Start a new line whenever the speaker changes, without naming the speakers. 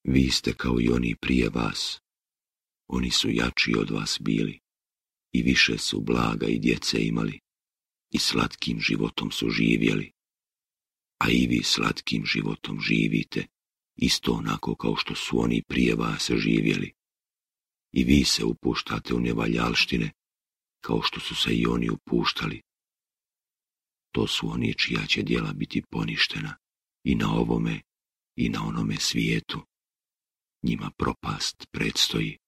Vi ste kao i oni prije vas. Oni su jači od vas bili i više su blaga i djece imali i slatkim životom su živjeli. A i vi slatkim životom živite, isto onako kao što su oni prije vas živjeli. I vi se upuštate u nevaljalštine, kao što su se i oni upuštali. To su oni čija će djela biti poništena i na ovome i na onome svijetu. Njima propast predstoji.